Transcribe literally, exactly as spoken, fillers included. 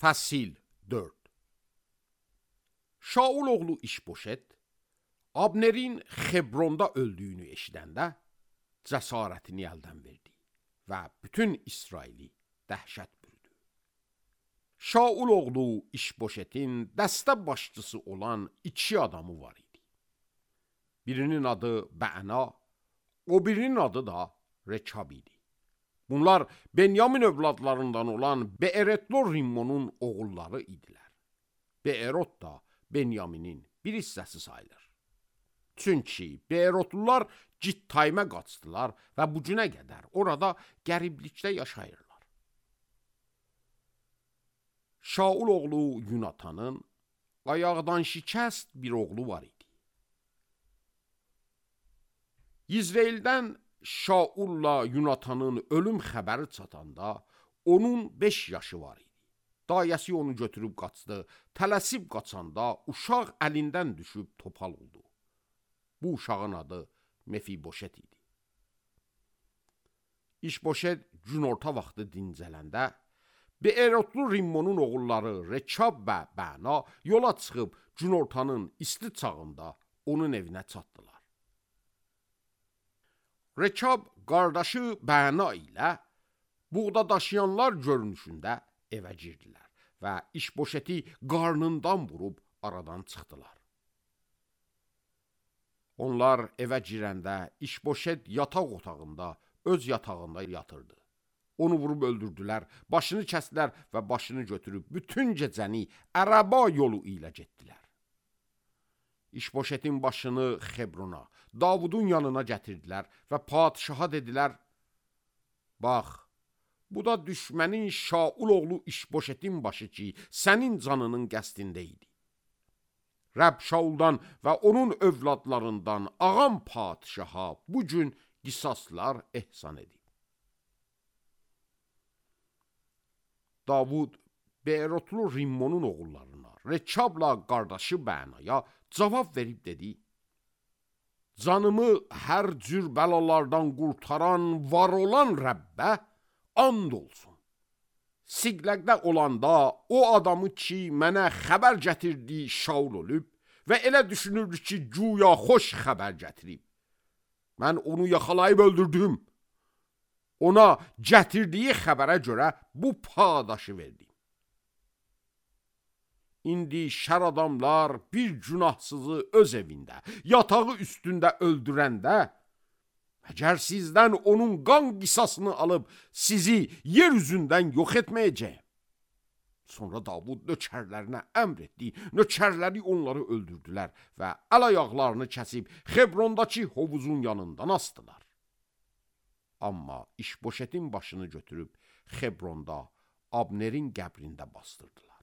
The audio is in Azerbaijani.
Fəsil dörd. Şaul oğlu İşboşet, Abnerin Xebronda öldüyünü eşidəndə cəsarətini əldən verdi və bütün İsraili dəhşət bürüdü. Şaul oğlu İşboşetin dəstə başçısı olan iki adamı var idi. Birinin adı Bəna, o birinin adı da Rekab idi. Bunlar Benyamin övladlarından olan Beeroth Rimmonun oğulları idilər. Beeroth da Benyaminin bir hissəsi sayılır. Çünki Beerothlular Cittaymə qaçdılar və bu günə qədər orada qəriblikdə yaşayırlar. Şaul oğlu Yunatanın ayaqdan şikəst bir oğlu var idi. İzraildən Şaulla Yunatanın ölüm xəbəri çatanda onun beş yaşı var idi. Dayəsi onu götürüb qaçdı, tələsib qaçanda uşaq əlindən düşüb topal oldu. Bu uşağın adı Mefiboşet idi. İşboşet günorta vaxtı dincələndə, Beerothlu Rimmonun oğulları Rekab və Bəna yola çıxıb günortanın isti çağında onun evinə çatdılar. Rekab qardaşı Bəna ilə buğda daşıyanlar görünüşündə evə girdilər və İşboşeti qarnından vurub aradan çıxdılar. Onlar evə girəndə İşboşet yataq otağında, öz yatağında yatırdı. Onu vurub öldürdülər, başını kəsdilər və başını götürüb bütün gecəni ərəba yolu ilə getdilər. İşboşetin başını Xebrona, Davudun yanına gətirdilər və padişaha dedilər, bax, bu da düşmənin Şaul oğlu İşboşetin başı ki, sənin canının qəsdində idi. Rəbb Şauldan və onun övladlarından ağam padişaha bu gün qisaslar ehsan edib. Davud Beerothlu Rimmonun oğullarına, Rekabla qardaşı Bənaya cavab verib dedi, canımı hər cür bəlalardan qurtaran, var olan Rəbbə and olsun. Siqləqdə olanda o adamı ki, mənə xəbər gətirdi Şaul olub və elə düşünürdü ki, güya xoş xəbər gətirib. Mən onu yaxalayıb öldürdüm. Ona gətirdiyi xəbərə görə bu padaşı verdim. İndi şər adamlar bir günahsızı öz evində, yatağı üstündə öldürəndə, əgər sizdən onun qan qisasını alıb sizi yer üzündən yox etməyəcək. Sonra Davud nökərlərinə əmr etdi, nökərləri onları öldürdülər və əl ayaqlarını kəsib Xebrondakı hovuzun yanından asdılar. Amma İşboşetin başını götürüb Xebronda Abnerin qəbrində bastırdılar.